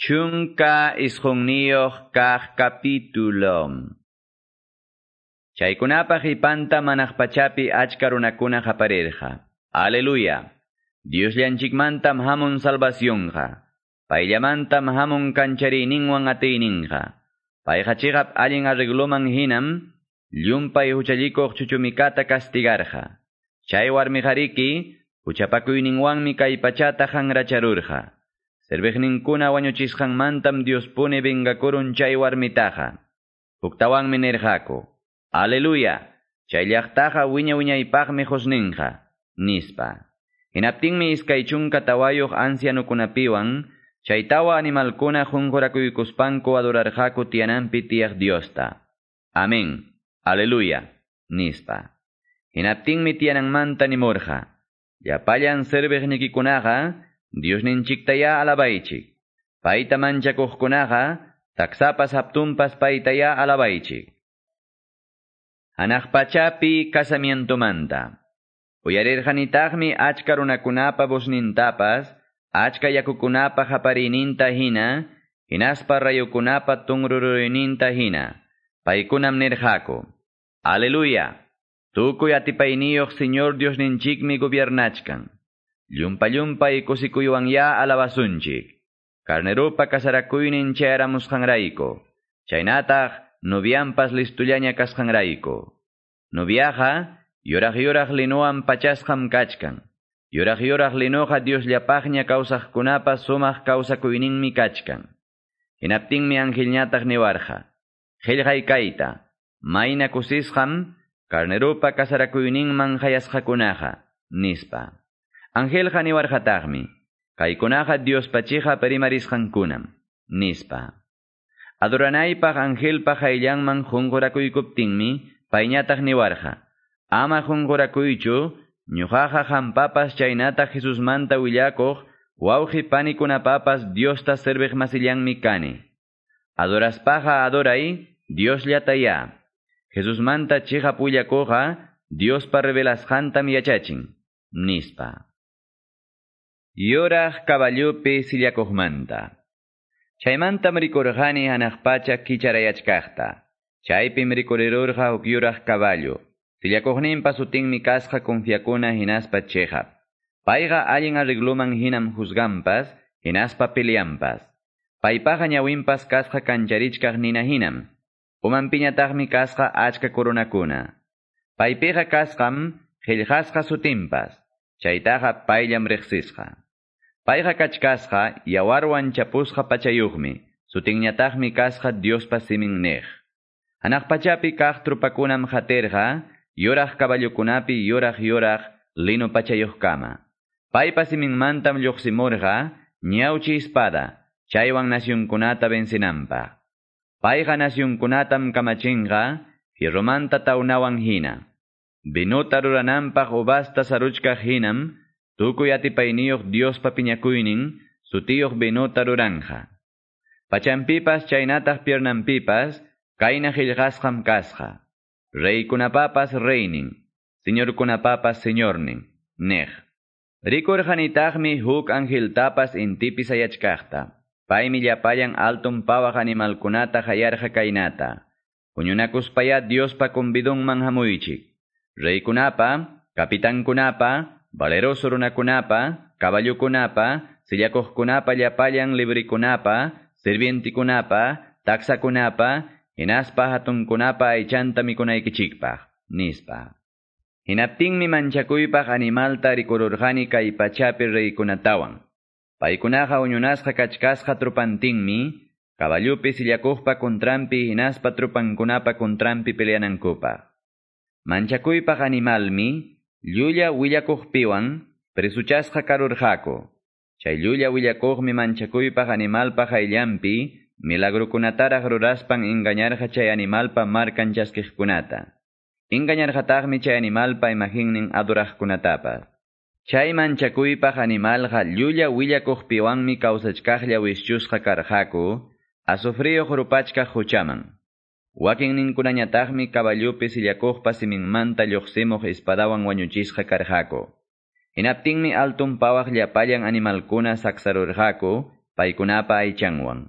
19 kaq capítulo. Chaykunapa qipanta hanaq pachapi achka runakuna qaparirqa. Aleluya. Diosllanchikmantam hamun salvacionqa. Payllamantam hamun kanchariyninwan atiyninqa. Payqa chiqap allin arregloman hinam llumpay huchallikuq chuchumikata castigarqa. Chay warmiqariki huchapakuyninwanmi kay pachata hanracharurqa. Serviqninkuna wañuchisqanmantam Diospuni vengakurun chay warmitaqa. Huktawanmi nirqaku: Aleluya, chay llaqtaqa wiña wiñaypaqmi husninqa, nispa. Hinaptinmi 24 ancianukunapiwan chay tawa animalkuna qunqurakuykuspanku adorarqaku tiyananpi tiyaq Diosta. Amén. Aleluya, nispa. Hinaptinmi tiyananmanta nimurqa: Llapallan serviqnikikunaqa Diosninchiktaya alabaychik. Payta manchakuqkunaqa taksapas hatunpas paytaya alabaychik. Hanaq pachapi casamientomanta. Uyarirqanitaqmi achka runakunapa voznintapas, achka yakukunapa qapariyninta hina, hinaspa rayukunapa tunruruyninta hina. Paykunam nirqaku: Aleluya! Tukuy atipayniyuq Señor Diosninchikmi gobiernachkan. Llumpa-llumpay kusikuywan alabasunchik. Carnerupa kasarakuynin chayaramusqanrayku. Chaynataq novianpas listullaña kasqanrayku. Noviaqa yuraq-yuraq linuwan pachasqam kachkan. Yuraq-yuraq linuqa Diosllapaqña kawsaqkunapa sumaq kawsakuyninmi kachkan. Hinaptinmi angelñataq niwarqa: Qillqay kayta, mayna kusisqam carnerupa kasarakuyninman hayasqakunaqa, nispa. Angelqa niwarqataqmi: Kaykunaqa Diospa chiqap rimarisqankunam, nispa. Adoranaypaq angelpa qayllanman qunqurakuykuptinmi payñataq niwarqa: Ama qunqurakuychu, ñuqaqa qampapas chaynataq Jesusmanta willakuq wawqi panikunapapas Diosta serviq masillanmi kani. Adoraspaqa adoray Diosllatayá. Jesusmanta chiqap willakuqqa Diospa revelasqantam yachachin, nispa. Yuraq caballupi sillakuqmanta. Chaymantam rikurqani hanaq pacha kicharayachkaqta. Chaypim rikurirurqa huk yuraq caballo. Sillakuqninpa sutinmi kasqa confiakuna hinaspa chiqap. Payqa allin arregloman hinam juzganpas, hinaspa peleanpas. Paypaqa ñawinpas kasqa kancharichkaq nina hinam. Umanpiñataqmi kasqa achka coronakuna. Paypiqa kasqam qillqasqa sutinpas. Chaytaqa payllam riqsisqa. Payqa kachkasqa yawarwan chapusqa pachayuqmi, sutinñataqmi kasqa Diospa simin niq. Hanaq pachapi kaq trupakunam qatirqa, yuraq caballukunapi yuraq lino pachayuqkama. Paypa siminmantam lluqsimurqa ñawchi espada, chaywan nacionkunata vencinanpaq. Payqa nacionkunatam kamachinqa, fierromanta tawnawan hina. Vinuta rurananpaq uvasta saruchkaq hinam, tukuy atipayniyuq Diospa piñakuynin, sutiyuq vinuta ruranja. Pachanpipas chaynataq piernanpipas, kayna qillqasqam kasqa: Reykunapapas reynin, señorkunapapas señornin, niq. Rikurqanitaqmi huk angeltapas intipi sayachkaqta. Paymi llapallan alton pawaq animalkunata hayarqa kaynata: Huñunakuspayá Diospa convidunman hamuychik. Reykunapa, kapitankunapa, valeroso runakunapa, caballukunapa, sillakuqkunapa llapallan librikunapa, sirvientikunapa, taksakunapa, hinaspa hatunkunapa aychanta mikunaykichikpaq, nispa. Hinaptinmi manchakuypaq animalta rikururqani kay pachapi reykunatawan. Paykunaqa huñunasqa kachkasqa trupantinmi, caballupi sillakuqpa contranpi hinaspa trupankunapa contranpi peleanankupaq. Manchakuypaq animalmi llulla willakuqpiwan presuchasqa karurqaku. Chay llulla willakuqmi manchakuypaq animalpa qayllanpi milagrukunataraq ruraspan engañarqa chay animalpa markan chaskiqkunata. Engañarqataqmi chay animalpa imaginnin adoraqkunatapas. Chay manchakuypaq animalqa llulla willakuqpiwanmi kawsachkaqlla wischusqa karqaku, azufriyuq rupachkaq huchaman. Wakinninkunañataqmi caballupi sillakuqpa siminmanta lluqsimuq espadawan wañuchisqa karqaku. Hinaptinmi alton pawaq llapallan animalkuna saksarurqaku, paykunapa aychanwan.